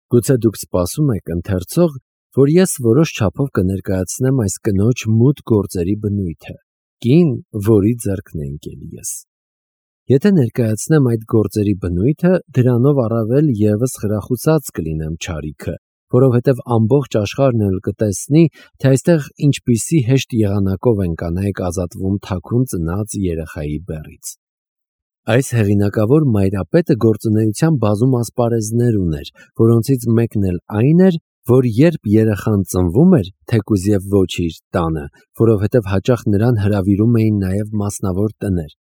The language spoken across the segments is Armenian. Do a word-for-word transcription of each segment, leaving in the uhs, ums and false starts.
Գուցե դուք սպասում եք ընթերցող, որ ես որոշ չափով կներկայացնեմ այս կնոջ մութ գործերի բնույթը, կին, որի ձեռքն է ընկել ես։ Եթե ներկայացնեմ այդ գործերի բնույթը, դրանով առավել ևս խրախուսած կլինեմ չարիքը, որովհետև ամբողջ աշխարհն էլ կտեսնի, թե այստեղ ինչպիսի հեշտ եղանակով են կանայք ազատվում թաքուն ծնած երեխայի բեռից։ Այս հեղինակավոր մայրապետը գործունեության բազում ասպարեզներ ուներ, որոնցից մեկն էլ այն էր, որ երբ երեխան ծնվում էր, թեկուզ եւ ոչ իր տանը, որովհետև հաճախ նրան հրավիրում էին նաև մասնավոր տներ,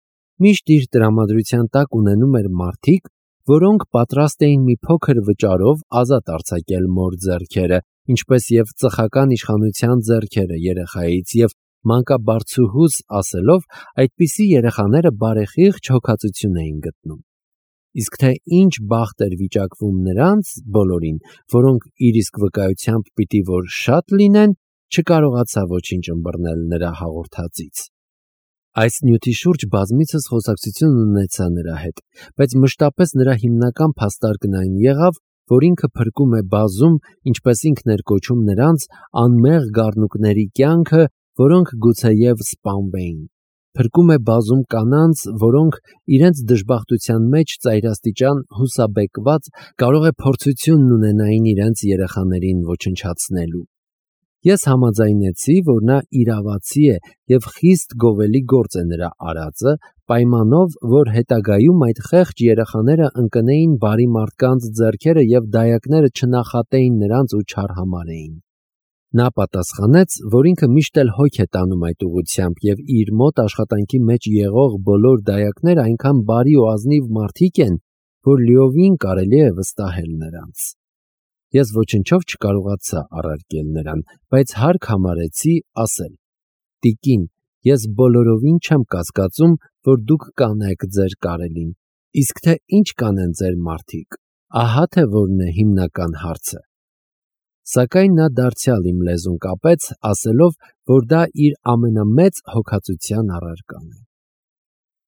միշտ իր տրամադրության տակ ունենում էր մարդիկ, որոնք պատրաստ էին մի փոքր վճարով ազատ արձակել մոր ձեռքերը, ինչպես եւ ծխական իշխանության ձեռքերը երեխայից եւ մանկաբարձուհուս ասելով, այդպիսի երեխաները բարեխիղճ հոգացություն էին գտնում։ Իսկ թե ինչ բախտ էր վիճակվում նրանց բոլորին, որոնք իր իսկ վկայությամբ պիտի որ շատ լինեն, չկարողացա ոչինչ ըմբռնել նրա հաղորդածից։ Այս նյութի շուրջ բազմիցս խոսակցություն ունեցա նրա հետ, բայց մշտապես նրա հիմնական փաստարկն այն եղավ, որ ինքը փրկում է բազում, ինչպես ինքն էր կոչում նրանց, անմեղ գառնուկների կյանքը, որոնք գուցեև սպանվեին։ Փրկում է բազում կանանց, որոնք իրենց դժբախտության մեջ ծայրաստիճան հուսաբեկված կարող է փորձությունն ունենային իրենց երեխաներին ոչնչացնելու։ Ես համաձայնեցի, որ նա իրավացի է եւ խիստ գովելի գործ է նրա արածը, պայմանով, որ հետագայում այդ խեղճ երեխաները ընկնեին բարի մարդկանց ձեռքերը եւ դայակները չնախատեին նրանց ու չարհամարեին։ Նա պատասխանեց, որ ինքը միշտ էլ հոգ է տանում այդ ուղղությամբ եւ իր մոտ աշխատանքի մեջ եղող բոլոր դայակները այնքան բարի ու ազնիվ մարդիկ են, որ լիովին կարելի է վստահել նրանց։ Ես ոչնչով չկարողացա առարկել նրան, բայց հարկ համարեցի ասել. «Տիկին, ես բոլորովին չեմ կասկածում, որ դուք կանեք ձեր կարելին, իսկ թե ինչ կանեն ձեր մարդիկ, ահա թե որն է հիմնական հարցը»։ Սակայն նա դարձյալ իմ լեզուն կապեց, ասելով, որ դա իր ամենամեծ հոգածության առարկան է։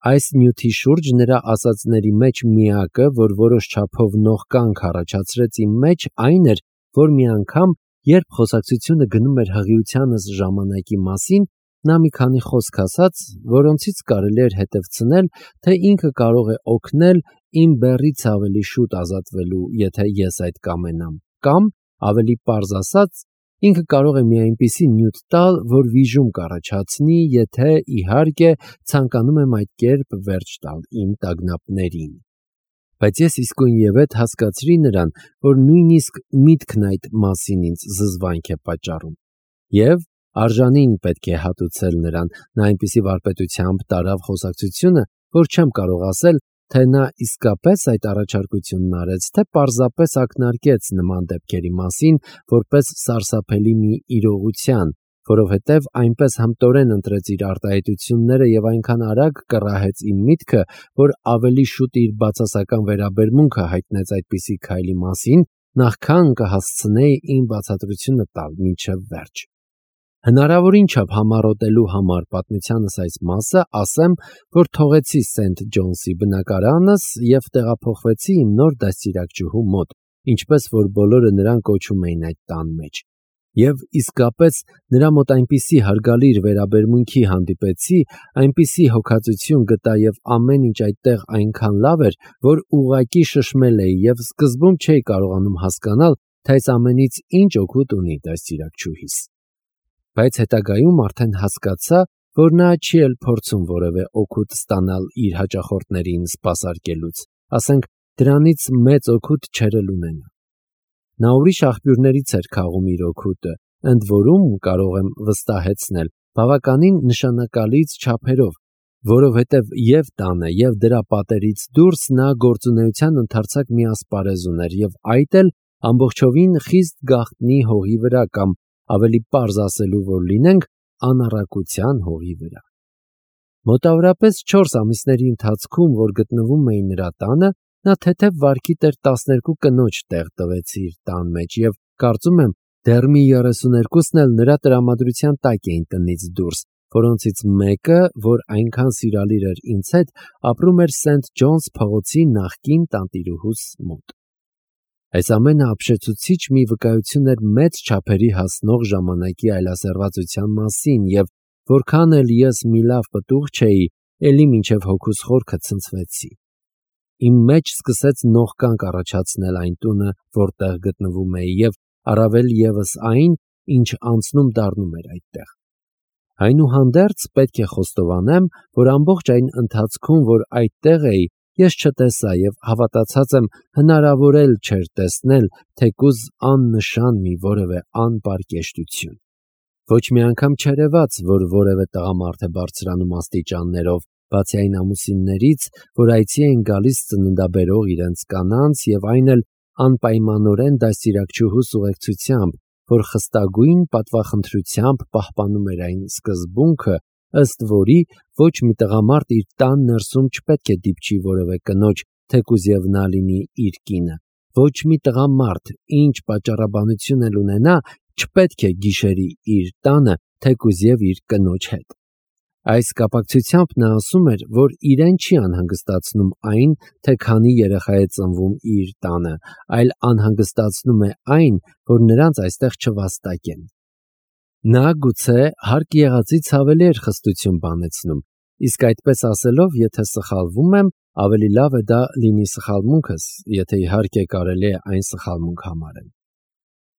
Այս նյութի շուրջ նրա ասածների մեջ միակը, որ որոշ չափով նողկանք առաջացրեց իմ մեջ, այն էր, որ մի անգամ, երբ խոսակցությունը գնում էր հղիությանս ժամանակի մասին, նա մի քանի խոսք ասաց, որոնցից կարելի էր հետևցնել, թե ինքը կարող է օգնել իմ բեռից ավելի շուտ ազատվելու, եթե ես այդ կամենամ, կամ, ավելի պարզ ասած, ինքը կարող է մի այնպիսի նյութ տալ, որ վիժում կառաջացնի, եթե, իհարկե, ցանկանում եմ այդ կերպ վերջ տալ իմ տագնապներին։ Բայց ես իսկույնևեթ հասկացրի նրան, որ նույնիսկ միտքն այդ մասին ինձ զզվանք է պատճառում։ Եվ արժանին պետք է հատուցել նրան, նա այնպիսի վարպետությամբ տարավ խոսակցությունը, որ չեմ կարող ասել, թե նա իսկապես այդ առաջարկությունն արեց, թե պարզապես ակնարկեց նման դեպքերի մասին, որպես սարսափելի մի իրողության, որովհետև այնպես հմտորեն ընտրեց իր արտահայտությունները եւ այնքան արագ կռահեց իմ միտքը, որ ավելի շուտ իր բացասական վերաբերմունքը հայտնեց այդպիսի քայլի մասին, նախքան կհասցնեի իմ բացատրությունը տալ մինչև վերջ։ Հնարավորին չափ համառոտելու համար պատմությանս այս մասը ասեմ, որ թողեցի Սենթ Ջոնսի բնակարանս եւ տեղափոխվեցի իմ նոր դաստիարակչուհու մոտ, ինչպես որ բոլորը նրան կոչում էին այդ տան մեջ։ Եվ իսկապես նրա մոտ այնպիսի հարգալիր վերաբերմունքի հանդիպեցի, այնպիսի հոգածություն գտա եւ ամեն ինչ այդտեղ այնքան լավ էր, որ ուղղակի շշմել էի եւ սկզբում չէի կարողանում հասկանալ, թե այս ամենից ինչ օգուտ ունի դաստիարակչուհիս։ Բայց հետագայում արդեն հասկացա, որ նա չի էլ փորձում որևէ օգուտ ստանալ իր հաճախորդներին սպասարկելուց, ասենք դրանից մեծ օգուտ չէր էլ ունենա։ Նա ուրիշ աղբյուրներից էր քաղում իր օգուտը, ընդ որում կարող եմ վստահեցնել, բավականին նշանակալից չափերով, որովհետև եւ տանը եւ դրա պատերից դուրս նա գործունեության ընդարձակ մի ասպարեզ ուներ եւ այդ էլ ամբողջովին խիստ գաղտնի հողի վրա կամ ավելի պարզ ասելու որ լինենք, անառակության հողի վրա։ Մոտավորապես չորս ամիսների ընթացքում, որ գտնվում էի նրա տանը, նա թեթև վարքի տեր տասներկու կնոջ տեղ տվեց իր տան մեջ եւ կարծում եմ դեռ մի երեսուներկուսն էլ նրա տրամադրության տակ էին տնից դուրս, որոնցից մեկը, որ այնքան սիրալիր էր ինձ հետ, ապրում էր Սենթ Ջոնս փողոցի նախկին տանտիրուհուս մոտ։ Այս ամենը ապշեցուցիչ մի վկայություն էր մեծ չափերի հասնող ժամանակի այլասերվածության մասին, եւ որքան էլ ես մի լավ պտուղ չէի, էլի մինչև հոգուս խորքը ցնցվեցի։ Իմ մեջ սկսեց նողկանք առաջացնել այն տունը, որտեղ գտնվում էի, եւ առավել եւս այն, ինչ անցնում դառնում էր այդտեղ։ Այնուհանդերձ պետք է խոստովանեմ, որ ամբողջ այն ընթացքում, որ այդտեղ էի, ես չտեսա եւ հավատացած եմ հնարավոր էլ չէր տեսնել թեկուզ աննշան մի որևէ անպարկեշտություն։ Ոչ մի անգամ չերևաց, որ որևէ տղամարդ է բարձրանում աստիճաններով, բացի այն ամուսիններից, որ այցի են գալիս ծննդաբերող իրենց կանանց եւ այն էլ անպայմանորեն դաստիարակչուհուս ուղեկցությամբ, որ խստագույն պատվախնդրությամբ պահպանում էր այն սկզբունքը, ըստ որի ոչ մի տղամարդ իր տան ներսում չպետք է դիպչի որևէ կնոջ, թեկուզ եւ նա լինի իր կինը։ Ոչ մի տղամարդ, ինչ պատճառաբանություն էլ ունենա, չպետք է գիշերի իր տանը, թեկուզ եւ իր կնոջ հետ։ Այս կապակցությամբ նա ասում էր, որ իրեն չի անհանգստացնում այն, թե քանի երեխա է ծնվում իր տանը, այլ անհանգստացնում է այն, որ նրանց այստեղ չվաստակեն։ Նա գուցե հարկ եղածից ավելի էր խստություն բանեցնում, իսկ այդպես ասելով, եթե սխալվում եմ, ավելի լավ է դա լինի սխալմունքս, եթե իհարկե կարելի է այն սխալմունք համարել։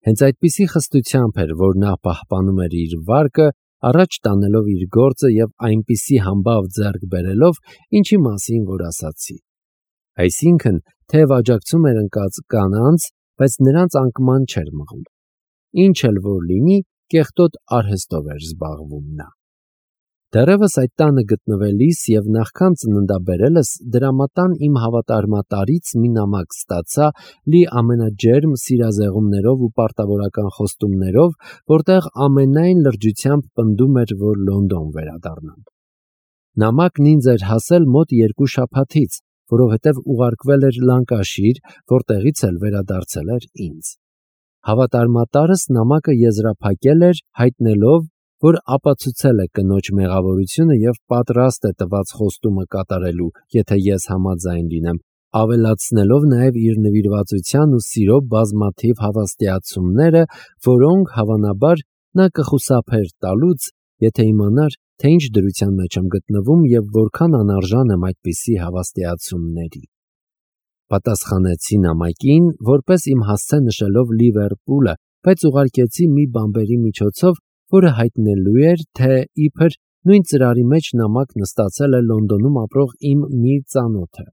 Հենց այդպիսի խստությամբ էր, որ նա պահպանում էր իր վարկը, առաջ տանելով իր գործը եւ այնպիսի համբավ ձեռք բերելով, ինչի մասին որ ասացի։ Այսինքն, թեև աջակցում էր ընկած կանանց, բայց նրանց անկման չէր մղում։ Ինչ էլ որ լինի, կեղտոտ արհեստով էր զբաղվում նա։ Դեռևս այդ տանը գտնվելիս եւ նախքան ծննդաբերելս դրամատան իմ հավատարմատարից մի նամակ ստացա լի ամենաջերմ սիրազեղումներով ու պարտավորական խոստումներով, որտեղ ամենայն լրջությամբ պնդում էր, որ Լոնդոն վերադառնամ։ Նամակն ինձ էր հասել մոտ երկու շաբաթից, որովհետև ուղարկվել էր Լանկաշիր, որտեղից էլ վերադարձել էր ինձ։ Հավատարմատարս նամակը եզրափակել էր, հայտնելով, որ ապացուցել է կնոջ մեղավորությունը եւ պատրաստ է տված խոստումը կատարելու, եթե ես համաձայն լինեմ, ավելացնելով նաեւ իր նվիրվածության ու սիրո բազմաթիվ հավաստիացումները, որոնք հավանաբար նա կխուսափեր տալուց, եթե իմանար, թե ինչ դրության մեջ եմ գտնվում եւ որքան անարժան եմ այդպիսի հավաստիացումների։ Պատասխանեցի նամակին, որպես իմ հասցե նշելով Լիվերպուլը, բայց ուղարկեցի մի բամբերի միջոցով, որը հայտնելու էր, թե իբր նույն ծրարի մեջ նամակն ստացել է Լոնդոնում ապրող իմ մի ծանոթը։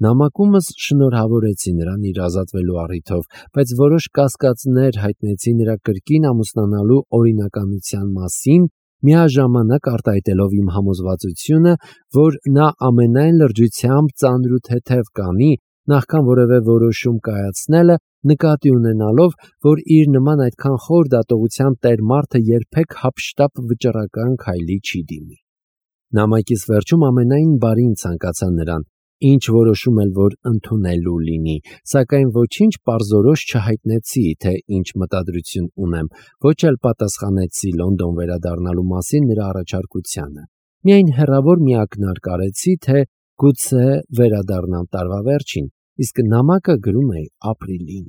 Նամակումս շնորհավորեցի նրան իր ազատվելու առիթով, բայց որոշ կասկածներ հայտնեցի նրա կրկին ամուսնանալու օրինականության մասին, միաժամանակ արտահայտելով իմ համոզվածությունը, որ նա ամենայն լրջությամբ ծանր ու թեթև կանի, նախքան որևէ որոշում կայացնելը, նկատի ունենալով, որ իր նման այդքան խոր դատողության տեր մարդը երբեք հափշտապ վճռական քայլի չի դիմի։ Նամակիս վերջում ամենայն բարին ցանկացա նրան, ինչ որոշում էլ որ ընդունելու լինի, սակայն ոչինչ պարզորոշ չհայտնեցի, թե ինչ մտադրություն ունեմ, ոչ էլ պատասխանեցի Լոնդոն վերադառնալու մասին նրա առաջարկությանը։ Միայն հեռավոր մի ակնարկ արեցի, թե գուցե վերադառնամ տարվա վերջին, իսկ նամակը գրում էի ապրիլին։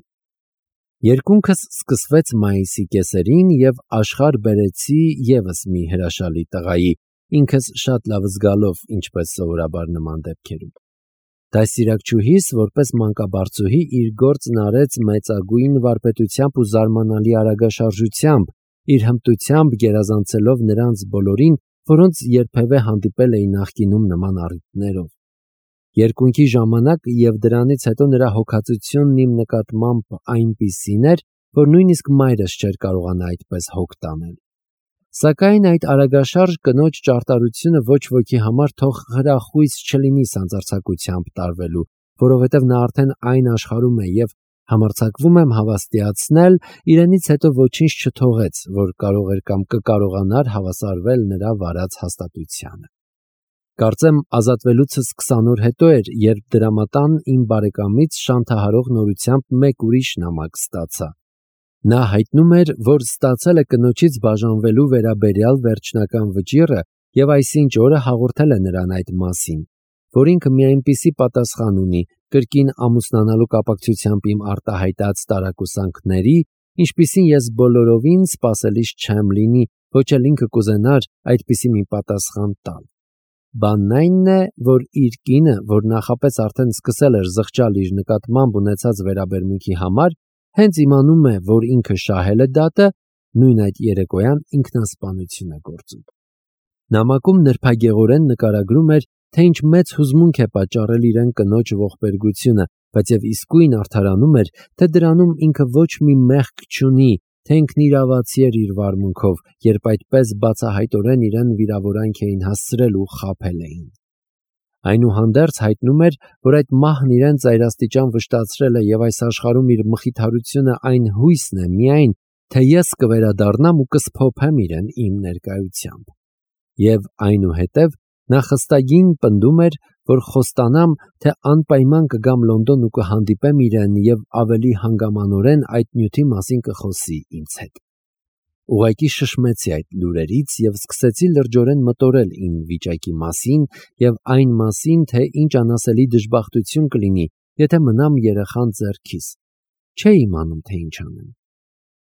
Երկունքս սկսվեց մայիսի կեսերին եւ աշխարհ բերեցի եւս մի հրաշալի տղայի, ինքս շատ լավ զգալով, ինչպես սովորաբար նման դեպքերում։ Դաստիարակչուհիս, որպես մանկաբարձուհի, իր գործն արեց մեծագույն վարպետությամբ ու զարմանալի արագաշարժությամբ, իր հմտությամբ գերազանցելով նրանց բոլորին, որոնց երբևէ հանդիպել էի նախկինում նման առիթներով։ Երկունքի ժամանակ եւ դրանից հետո նրա հոգացությունն իմ նկատմամբ այնպիսին էր, որ նույնիսկ մայրս չէր կարողանա այդպես հոգ տանել։ Սակայն այդ արագաշարժ կնոջ ճարտարությունը ոչ ոքի համար թող հրախույս չլինի սանձարձակությամբ տարվելու, որովհետև նա արդեն այն աշխարհում է եւ համարձակվում եմ հավաստիացնել, իրենից հետո ոչինչ չթողեց, որ կարող էր կամ կկարողանար հավասարվել նրա վարած հաստատությանը։ Կարծեմ ազատվելուցս քսան օր հետո էր, երբ դրամատան իմ բարեկամից շանթահարող նորությամբ մեկ ուրիշ նամակ ստացա։ Նա հայտնում էր, որ ստացել է կնոջից բաժանվելու վերաբերյալ վերջնական վճիռը եւ այսինչ օրը հաղորդել է նրան այդ մասին։ որ ինքը մի այնպիսի պատասխան ունի կրկին ամուսնանալու կապակցությամբ իմ արտահայտած տարակուսանքների, ինչպիսին ես բոլորովին սպասելիս չեմ լինի, ոչ էլ ինքը կուզենար այդպիսի մի պատասխան տալ։ Բանն այնն է, որ իր կինը, որ նախապես արդեն սկսել էր զղջալ իր նկատմամբ ունեցած վերաբերմունքի համար, հենց իմանում է, որ ինքը շահել է դատը, նույն այդ երեկոյան ինքնասպանություն է գործում։ Նամակում նրբագեղորեն նկարագրում էր, թե ինչ մեծ հուզմունք է պատճառել իրեն կնոջ ողբերգությունը, բայց եւ իսկույն արդարանում էր, թե դրանում ինքը ոչ մի մեղք չունի, թե ինքն իրավացի էր իր վարմունքով, երբ այդպես բացահայտորեն իրեն վիրավորանք էին հասցրել ու խաբել էին։ Այնուհանդերձ հայտնում էր, որ այդ մահն իրեն ծայրաստիճան վշտացրել է եւ այս աշխարհում իր մխիթարությունը այն հույսն է միայն, թե ես կվերադառնամ ու կսփոփեմ իրեն իմ ներկայությամբ։ Եվ այնուհետև նա խստագին պնդում էր, որ խոստանամ, թե անպայման կգամ Լոնդոն ու կհանդիպեմ իրեն եւ ավելի հանգամանորեն այդ նյութի մասին կխոսի ինձ հետ։ Ուղղակի շշմեցի այդ լուրերից եւ սկսեցի լրջորեն մտորել իմ վիճակի մասին եւ այն մասին, թե ինչ անասելի դժբախտություն կլինի, եթե մնամ երեխան ձեռքիս։ Չէի իմանում, թե ինչ անեմ։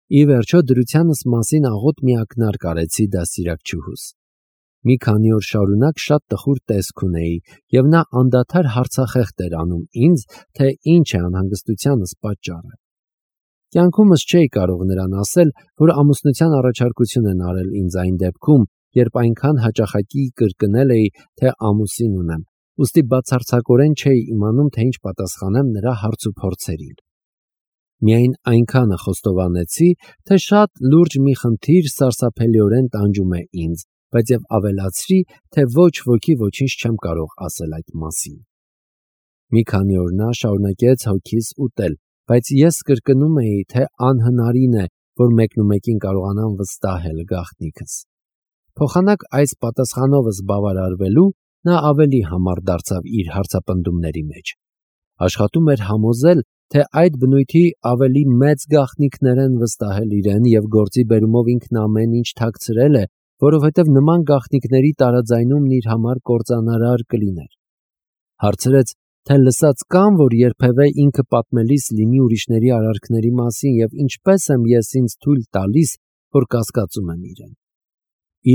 Ի վերջո դրությանս մասին աղոտ մի ակնարկ արեցի դաստիարակչուհուս։ Մի քանի օր շարունակ շատ տխուր տեսք ունեի, եւ նա անդադար հարցախեղդ էր անում ինձ, թե ինչ է անհանգստությանս պատճառը։ Կյանքումս չէի կարող նրան ասել, որ ամուսնության առաջարկություն են արել ինձ այն դեպքում, երբ այնքան հաճախակի կրկնել էի, թե ամուսին ունեմ, ուստի բացարձակորեն չէի իմանում, թե ինչ պատասխանեմ նրա հարցուփորձերին։ Միայն այնքանը խոստովանեցի, թե շատ լուրջ մի խնդիր սարսափելիորեն տանջում է ինձ, բայց եւ ավելացրի, թե ոչ ոքի ոչինչ չեմ կարող ասել այդ մասին։ Մի քանի օր նա շարունակեց հոգիս ուտել, բայց ես կրկնում էի, թե անհնարին է, որ մեկնումեկին կարողանամ վստահել գաղտնիքս։ Փոխանակ այս պատասխանովս բավարարվելու նա ավելի համառ դարձավ իր հարցապնդումների մեջ։ Աշխատում էր համոզել, թե այդ բնույթի ավելի մեծ գաղտնիքներ են վստահել իրեն եւ գործի բերումով ինքն ամեն ինչ թաքցրել է, որովհետև նման գաղտնիքների տարաձայնումն իր համար կործանարար կլիներ։ Հարցրեց, թե լսած կամ, որ երբևէ ինքը պատմելիս լինի ուրիշների արարքների մասին եւ ինչպես եմ ես ինձ թույլ տալիս, որ կասկածում եմ իրեն։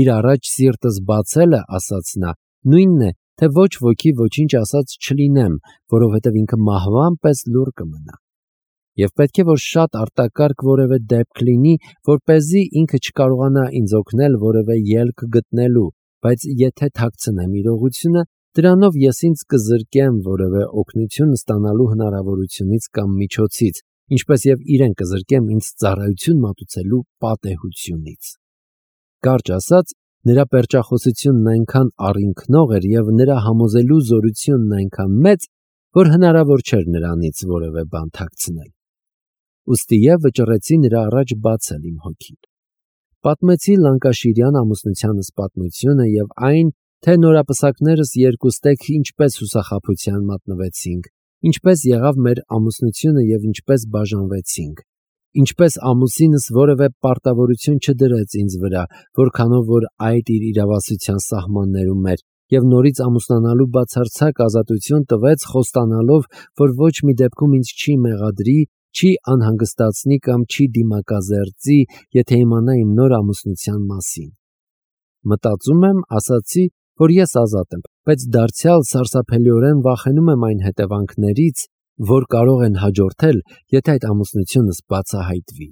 Իր առաջ սիրտս բացելը, ասաց նա, նույնն է, թե ոչ ոքի ոչինչ ասած չլինեմ, որովհետև ինքը մահվան պես լուռ կմնա։ Եվ պետք է որ շատ արտակարգ որևէ դեպք լինի, որպեսզի ինքը չկարողանա ինձ օգնել որևէ ելք գտնելու, բայց եթե թաքցնեմ իրողությունը, դրանով ես ինձ կզրկեմ որևէ օգնություն ստանալու հնարավորությունից կամ միջոցից, ինչպես եւ իրեն կզրկեմ ինձ ծառայություն մատուցելու պատեհությունից։ Կարճ ասած, նրա պերճախոսությունն այնքան առինքնող էր եւ նրա համոզելու զորությունն այնքան մեծ, որ հնարավոր չէր նրանից որևէ բան թաքցնել։ Ուստի եւ վճռեցի նրա առաջ բացել իմ հոգին։ Պատմեցի Լանկաշիրյան ամուսնությանս պատմությունը եւ այն, թե նորապսակներս երկուստեք ինչպես հուսախաբության մատնվեցինք, ինչպես եղավ մեր ամուսնությունը եւ ինչպես բաժանվեցինք, ինչպես ամուսինս որևէ պարտավորություն չդրեց ինձ վրա, որքանով որ այդ իր իրավասության սահմաններում էր, եւ նորից ամուսնանալու բացարձակ ազատություն տվեց, խոստանալով, որ ոչ մի դեպքում ինձ չի մեղադրի, չի անհանգստացնի կամ չի դիմակազերծի, եթե իմանա իմ նոր ամուսնության մասին։ Մտածում եմ, ասացի, որ ես ազատ եմ, բայց դարձյալ սարսափելիորեն վախենում եմ այն հետևանքներից, որ կարող են հաջորդել, եթե այդ ամուսնությունս բացահայտվի։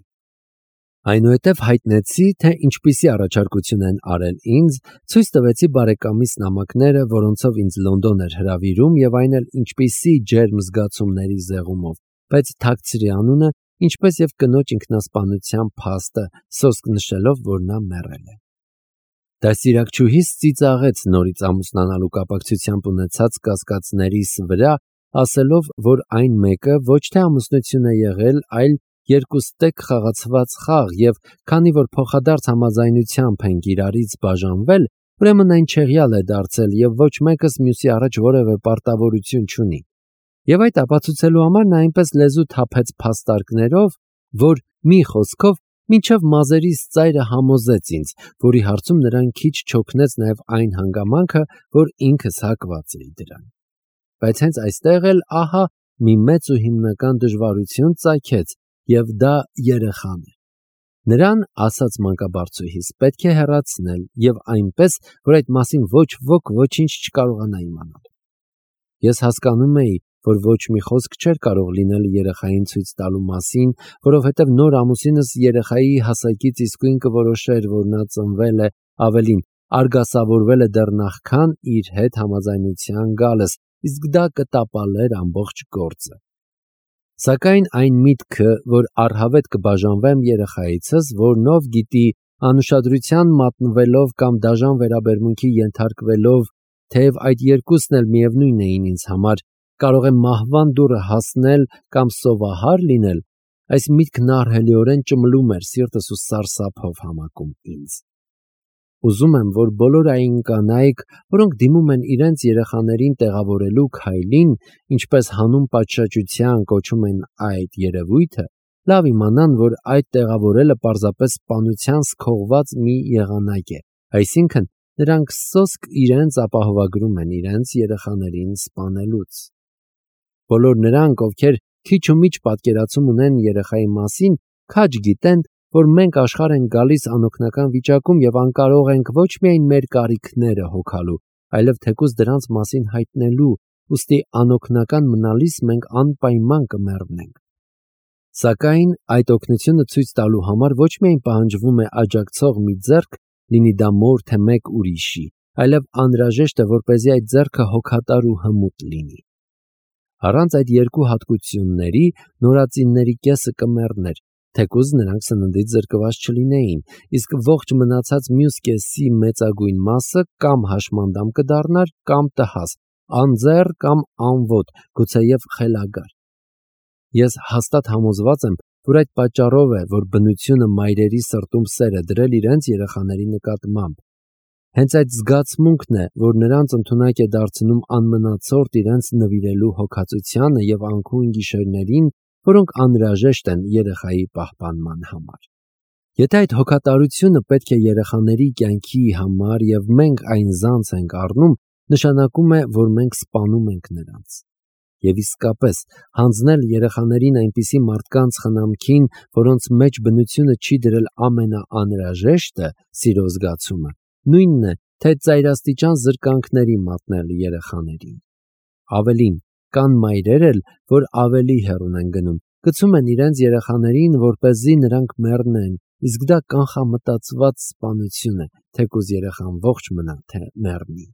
Այնուհետև հայտնեցի, թե ինչպիսի առաջարկություն են արել ինձ, ցույց տվեցի բարեկամիս նամակները, որոնցով ինձ Լոնդոն էր հրավիրում եւ այն էլ ինչպիսի ջերմ զգացումների զեղումով, բայց թաքցրի անունը, ինչպես եւ կնոջ ինքնասպանության փաստը, սոսկ նշելով, որ նա մեռել է։ Դաստիարակչուհիս ծիծաղեց նորից ամուսնանալու կապակցությամբ ունեցած կասկածներիս վրա, ասելով, որ այն մեկը ոչ թե ամուսնություն է եղել, այլ երկուստեք խաղացված խաղ եւ քանի որ փոխադարձ համաձայնությամբ ենք իրարից բաժանվել, ուրեմն այն չեղյալ է դարձել եւ ոչ մեկս մյուսի առաջ որևէ պարտավորություն չունի։ Եվ այդ ապացուցելու համար նա այնպես լեզու թափեց փաստարկներով, որ մի խոսքով մինչև մազերիս ծայրը համոզեց ինձ, որի հարցում նրան քիչ չօգնեց նաև այն հանգամանքը, որ ինքս հակված էի դրան։ բայց հենց այստեղ էլ ահա մի մեծ ու հիմնական դժվարություն ծագեց, եւ դա երեխան է։ Նրան, ասաց մանկաբարձուհիս, պետք է հեռացնել եւ այնպես, որ այդ մասին ոչ ոք ոչինչ չկարողանա իմանալ։ Ես հասկանում էի, որ ոչ մի խոսք չէր կարող լինել երեխային ցույց տալու մասին, որովհետև նոր ամուսինս երեխայի հասակից իսկույն կորոշեր, որ նա ծնվել է, ավելին, արգասավորվել է դեռ նախքան իր հետ համաձայնության գալս, իսկ դա կտապալեր ամբողջ գործը։ Սակայն այն միտքը, որ առհավետ կբաժանվեմ երեխայիցս, որնով գիտի անուշադրության մատնվելով կամ դաժան վերաբերմունքի ենթարկվելով, թեև այդ երկուսն էլ միևնույն էին ինձ համար, կարող է մահվան դուռը հասնել կամ սովահար լինել, այս միտքն ահռելիորեն ճմլում էր սիրտս ու սարսափով համակում ինձ։ Ուզում եմ, որ բոլոր այն կանայք, որոնք դիմում են իրենց երեխաներին տեղավորելու քայլին, ինչպես հանուն պատշաճության կոչում են այդ երևույթը, լավ իմանան, որ այդ տեղավորելը պարզապես սպանության սքողված մի եղանակ է, այսինքն նրանք սոսկ իրենց ապահովագրում են իրենց երեխաներին սպանելուց։ Բոլոր նրանք, ովքեր քիչ ու միջ պատկերացում ունեն երեխայի մասին, քաջ գիտեն, որ մենք աշխարհ ենք գալիս անօգնական վիճակում եւ անկարող ենք ոչ միայն մեր կարիքները հոգալու, այլև թեկուզ դրանց մասին հայտնելու, ուստի անօգնական մնալիս մենք անպայման կմեռնենք։ Սակայն այդ օգնությունը ցույց տալու համար ոչ միայն պահանջվում է աջակցող մի ձեռք, լինի դա մոր թե մեկ ուրիշի, այլև անհրաժեշտ է, որպեսզի այդ ձեռքը հոգատար ու հմուտ լինի։ Առանց այդ երկու հատկությունների նորածինների կեսը կմեռներ, թեկուզ նրանք սննդից զրկված չլինեին, իսկ ողջ մնացած մյուս կեսի մեծագույն մասը կամ հաշմանդամ կդառնար, կամ տհաս, անձեռ կամ անոտ, գուցեև խելագար։ Ես հաստատ համոզված եմ, որ այդ պատճառով է, որ բնությունը մայրերի սրտում սեր է դրել իրենց երեխաների նկատմամբ։ Հենց այդ զգացմունքն է, որ նրանց ընդունակ է դարձնում անմնացորդ իրենց նվիրելու հոգածությանը եւ անքուն գիշերներին, որոնք անհրաժեշտ են երեխայի պահպանման համար։ Եթե այդ հոգատարությունը պետք է երեխաների կյանքի համար եւ մենք այն զանց ենք առնում, նշանակում է, որ մենք սպանում ենք նրանց։ Եվ իսկապես, հանձնել երեխաներին այնպիսի մարդկանց խնամքին, որոնց մեջ բնությունը չի դրել ամենաանհրաժեշտը, սիրո զգացումը, նույնն է, թե ծայրաստիճան զրկանքների մատնել երեխաներին։ Ավելին, կան մայրեր էլ, որ ավելի հեռուն են գնում, գցում են իրենց երեխաներին, որպեսզի նրանք մեռնեն, իսկ դա կանխամտածված սպանություն է, թեկուզ երեխան ողջ մնա, թե մեռնի։